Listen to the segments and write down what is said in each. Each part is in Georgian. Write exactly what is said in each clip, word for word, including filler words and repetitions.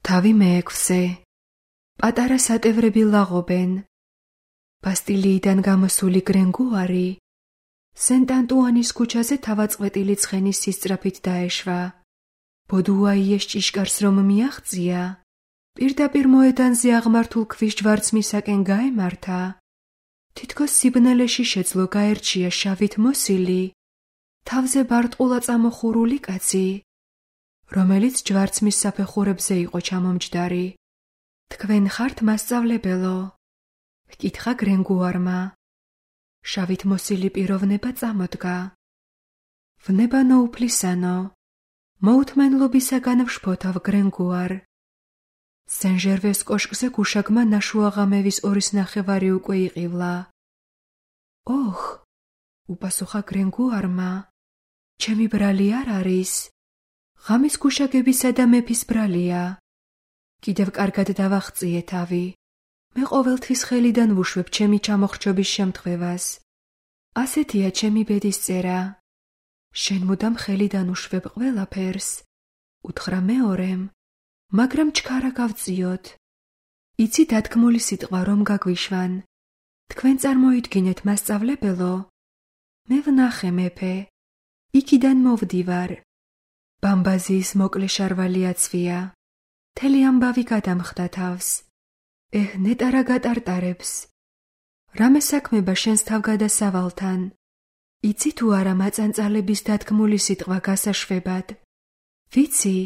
თავი მეექვსე. პატარა სატევრები ლაღობენ. ბასტილიიდან გამოსული გრენგუარი სენტ-ანტუანის ქუჩაზე თავაწყვეტილი ცხენის სისწრაფით დაეშვა. ბოდუაიეს ჭიშკარს რომ მიაღწია, პირდაპირ მოედანზე აღმართულ ქვიშჯვარცმისაკენ გაემართა. თითქოს სიბნელეში შეძლო გაერჩია შავით მოსილი, თავზე ბარტყულა წამოხურული კაცი, რომელიც ჯვარცმის საფეხურებზე იყო ჩამომჯდარი. თქვენ ხართ მასწავლებელო? ჰკითხა გრენგუარმა. შავით მოსილი პიროვნება წამოდგა. ვნება ნოუფლისანო, მოუთმენლობისაგან ვშფოთავ გრენგუარ. სენ-ჟერვეს კოშკზე გუშაგმა ნაშუაღამევის ორის ნახევარი უკვე იყივლა. ოხ, უპასუხა გრენგუარმა, ჩემი ბრალი არ არის. ღამის გუშაგებისა და მეფის ბრალია. კიდევ კარგად დავახწიე თავი. მე ყოველთვის ხელიდან ვუშვებ ჩემი ჩამოხრჩობის შემთხვევას. ასეთია ჩემი ბედის წერა. შენ მუდამ ხელიდან უშვებ ყველაფერს, უთხრა მეორემ, მაგრამ ჩქარა გავწიოთ. იცი დათქმული სიტყვა რომ გაგვიშვან. თქვენ წარმოიდგინეთ მასწავლებელო, მე ვნახე მეფე, იქიდან მოვდივარ. ბამბაზიის მოკლე შარვალი აცვია. მთელი ამბავი გადამხდა თავს. ეჰ, ნეტა რა გატარტარებს. რამე საქმება შენს თავგადასავალთან. იცი თუ არა მაწანწალების დათქმული სიტყვა გასაშვებად? ვიცი,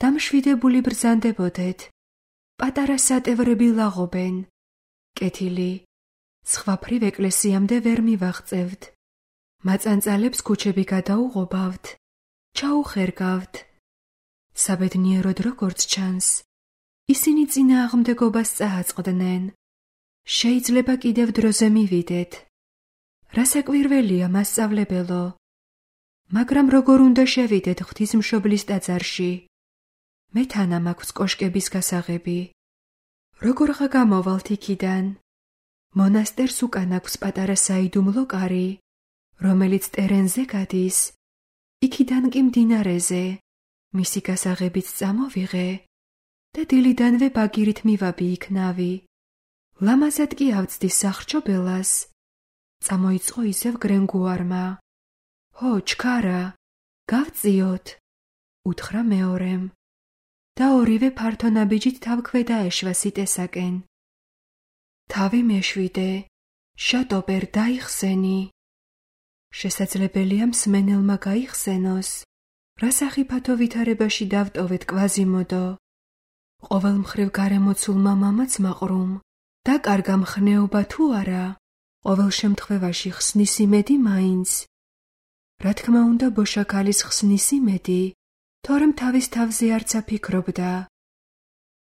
დამშვიდებული ბრძანდებოდეთ. პატარა სატევრები ლაღობენ. კეთილი, სხვაფრივ ეკლესიამდე ვერ მივაღწევთ. მაწანწალებს ქუჩები გადაუღობავთ. ჩაუხერგავთ. საბედნიეროდ როგორც ჩანს, ისინი წინააღმდეგობას წააწყდნენ. შეიძლება კიდევ დროზე მივიდეთ. რასაკვირველია მასწავლებელო, მაგრამ როგორ უნდა შევიდეთ ღვთისმშობლის ტაძარში? მე თანა მაქვს კოშკების გასაღები. როგორღა გამოვალთ იქიდან? მონასტერს უკან აქვს პატარა საიდუმლო კარი, რომელიც ტერენზე გადის, იქიდან კი მდინარეზე. მისი გასაღებით წამოვიღე და დილიდანვე ბაგირით მივაბი იქ ნავი. ლამაზად კი ავწდი სახრჩობელას. წამოიწყო ისევ გრენგუარმა. ჰო, ჩქარა, გავწიოთ, უთხრა მეორემ. და ორივე ფართო ნაბიჯით თავ ქვედა ეშვა სიტესაკენ. თავი მეშვიდე, შატოპერ დაიხსენი. შესაძლებელია მსმენელმა გაიხსენოს, რა სახიფათო ვითარებაში დავტოვეთ კვაზიმოდო. ყოველ მხრივ გარემოცულმა მამაც მაყრუმ, დაკარგა მხნეობა თუ არა, ყოველ შემთხვევაში ხსნის იმედი მაინც. რა თქმა უნდა ბოშაქალის ხსნის იმედი, თორემ თავის თავზე არც აფიქრობდა.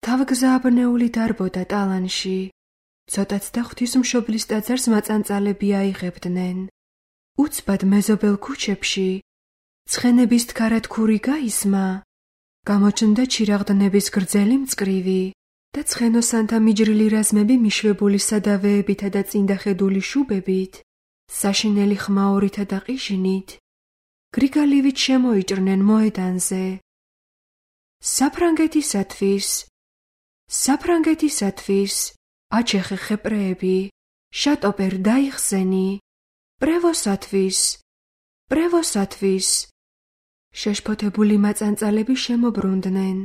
თავგზააბნეული დარბოდა ტალანში, ცოტაც და ღვთისმშობლის ტაძარს მაწანწალები აიღებდნენ. უცბად მეზობელ ქუჩებში ცხენების თქარათქური გაისმა, გამოჩნდა ჩირაღდნების გრძელი მწკრივი და ცხენოსანთა მიჯრილი რაზმები მიშვებული სადავეებითა და წინდახედული შუბებით, საშინელი ხმაურითა და ყიჟინით, გრიგალივით შემოიჭრნენ მოედანზე. საფრანგეთისათვის, საფრანგეთისათვის, აჩეხე ხეპრეები, შატოპერ დაიხსენი, პრევოსათვის, პრევოსათვის. შეშფოთებული მაწანწალები შემობრუნდნენ.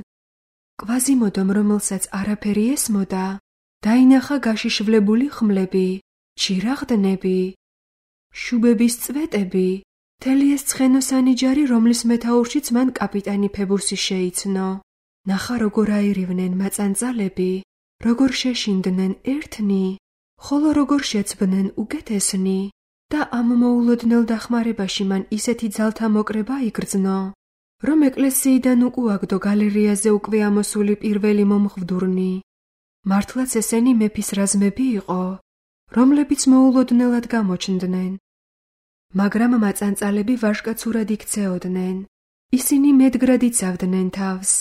კვაზიმოდომ, რომელსაც არაფერი ესმოდა, დაინახა გაშიშვლებული ხმლები, ჩირაღდნები, შუბების წვეტები, მთელი ეს ცხენოსანი ჯარი, რომლის მეთაურშიც მან კაპიტანი ფებუსი შეიცნო. ნახა როგორ აირივნენ მაწანწალები, როგორ შეშინდნენ ერთნი, ხოლო როგორ შეცბნენ უკეთესნი. და ამ მოულოდნელ დახმარებაში მან ისეთი ძალთა მოკრება იგრძნო, რომ ეკლესიიდან უკუაგდო გალერეაზე უკვე ამოსული პირველი მომხვდურნი. მართლაც ესენი მეფის რაზმები იყო, რომლებიც მოულოდნელად გამოჩნდნენ. მაგრამ მაწანწალები ვაჟკაცურად იქცეოდნენ. ისინი მედგრად იცავდნენ თავს.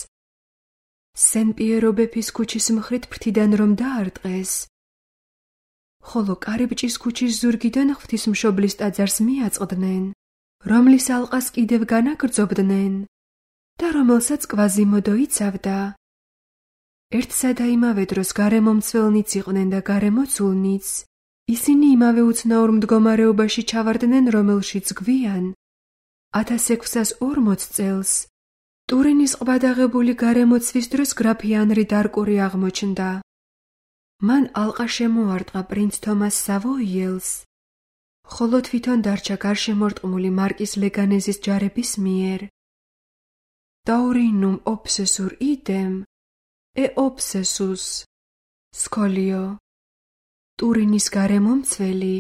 სენ-პიერო ბეფის ქუჩის მხრით ფრთიდან რომ დაარტყეს, ხოლო კარიბჭის ქუჩის ზურგიდან ღვთისმშობლის ტაძარს მიაწყდნენ, რომლის ალყას კიდევ განაგრძობდნენ და რომელსაც კვაზიმოდო იცავდა. ერთსა და იმავე დროს გარემომცველნიც იყვნენ და გარემოცულნიც, ისინი იმავე უცნაურ მდგომარეობაში ჩავარდნენ, რომელშიც გვიან, ათას ექვსას ორმოც წელს, ტურინის ყბადაღებული გარემოცვის დროს გრაფი ანრი დარკური აღმოჩნდა. მან ალყა შემოარტყა პრინც თომას სავოიელს, ხოლო თვითონ დარჩა გარშემორტყმული მარკიზ ლეგანეზის ჯარების მიერ. Taurinum obsessur idem, e obsessus, სკოლიო. ტურინის გარემომცველი,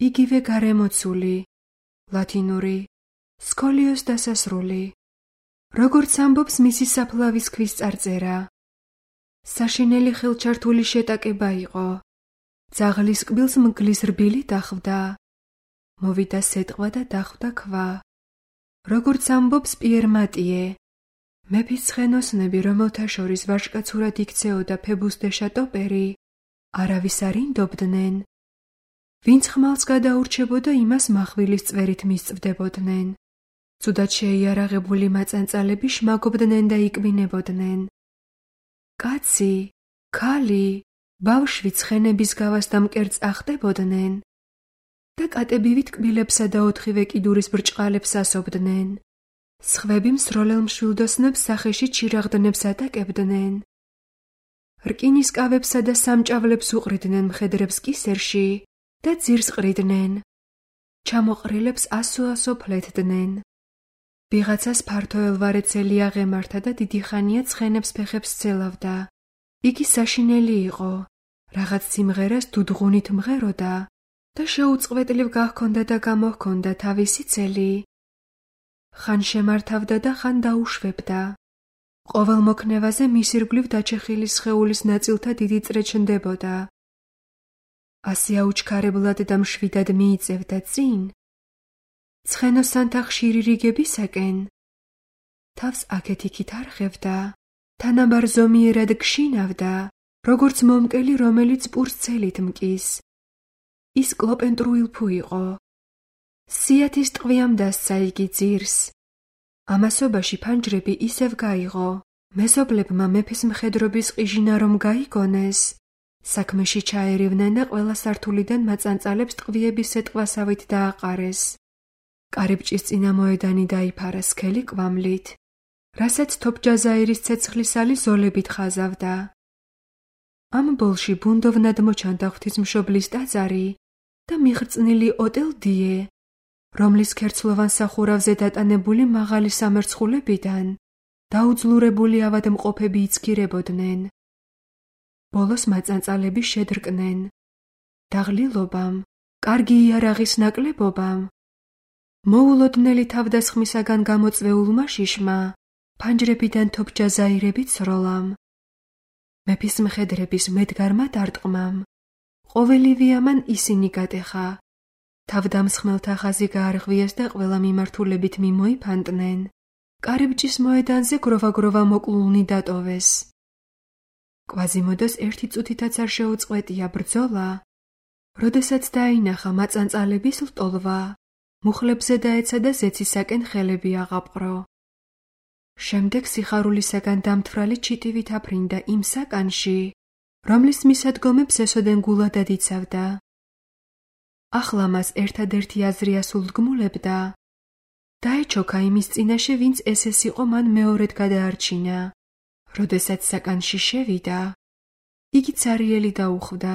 იგივე გარემოცული, ლათინური, სკოლიოს დასასრული. როგორც ამბობს მისი საფლავის ქვის წარწერა. საშინელი ხელჩართული შეტაკება იყო. ძაღლის კბილს მგლის რბილი დახვდა. მოვიდა სეტყვა და დახვდა ქვა. როგორც ამბობს პიერ მატიე, მეფის ცხენოსნები, რომელთა შორის ვაჟკაცურად იქცეოდა ფებუს დე შატოპერი, არავის არ ინდობდნენ. ვინც ხმალს გადაურჩებოდა, იმას מחვილის წვერით მისწვდებოდნენ. ცუდად შეიარაღებული მაწანწალები შმაგობდნენ და იკბინებოდნენ. კაცი, ქალი, ბავშვი ცხენების გავას და მკერდს ახტებოდნენ და კატებივით კბილებსა და ოთხივე კიდურის ბრჭყალებს ასობდნენ. სხვები მსროლელ მშვილდოსნებს სახეში ჩირაღდნებს ატაკებდნენ. რკინის კავებსა და სამჭავლებს უყრიდნენ მხედრებს კისერში და ძირს ყრიდნენ. ჩამოყრილებს ასო-ასო ფლეთდნენ. ვიღაცას ფართო ელვარეცელი აღემართა და დიდი ხანია ცხენებს ფეხებს ცელავდა. იგი საშინელი იყო, რაღაც სიმღერას დუდღუნით მღეროდა და შეუწყვეტლივ გაჰქონდა და გამოჰქონდა თავისი ცელი. ხან შემართავდა და ხან დაუშვებდა. ყოველ მოქნევაზე მის ირგვლივ დაჩეხილი სხეულის ნაწილთა დიდი წრე ჩნდებოდა. ასე აუჩქარებლად და მშვიდად მიიწევდა წინ, ცხენოსანთა ხშირი რიგებისაკენ, თავს აქეთ-იქით არხევდა, თანაბარ ზომიერად გშინავდა, როგორც მომკელი, რომელიც პურს ცელით მკის. ის კლოპენტრუილფუ იყო. სიათის ტყვიამ დასცა იგი ძირს. ამასობაში ფანჯრები ისევ გაიღო. მეზობლებმა მეფის მხედრობის ყიჟინა რომ გაიგონეს, საქმეში ჩაერივნენ და ყველა სართულიდან მაწანწალებს ტყვიების სეტყვასავით დააყარეს. კარიბჭის წინამოედანი დაიფარა სქელი კვამლით, რასაც თოფჯაზაირის ცეცხლისალი ზოლებით ხაზავდა. ამ ბოლში ბუნდოვნად მოჩანდა ღვთისმშობლის ტაძარი და მიღრწნილი ოტელ დიე, რომლის ქერცლოვან სახურავზე დატანებული მაღალი სამერცხულებიდან დაუძლურებული ავადმყოფები იცქირებოდნენ. ბოლოს მაწანწალები შედრკნენ. დაღლილობამ, კარგი იარაღის ნაკლებობამ, მოულოდნელი თავდასხმისაგან გამოწვეულმა შიშმა, ფანჯრებიდან თოფჯაზაირებით სროლამ, მეფის მხედრების მედგარმა დარტყმამ, ყოველივე ამან ისინი გატეხა. თავდამსხმელთა ხაზი გაარღვიეს და ყველა მიმართულებით მიმოიფანტნენ. კარიბჭის მოედანზე გროვა-გროვა მოკლულნი დატოვეს. კვაზიმოდოს ერთი წუთითაც არ შეუწყვეტია ბრძოლა, როდესაც დაინახა მაწანწალების ლტოლვა, მუხლებზე დაეცა და ზეცისაკენ ხელები აღაპყრო. შემდეგ სიხარულისაგან დამთვრალი ჩიტივით აფრინდა იმ საკანში, რომლის მისადგომებს ესოდენ გულადად იცავდა. ახლა მას ერთადერთი აზრი ასულდგმულებდა. დაეჩოქა იმის წინაშე, ვინც ეს-ეს იყო მან მეორედ გადაარჩინა. როდესაც საკანში შევიდა, იგი ცარიელი დაუხვდა.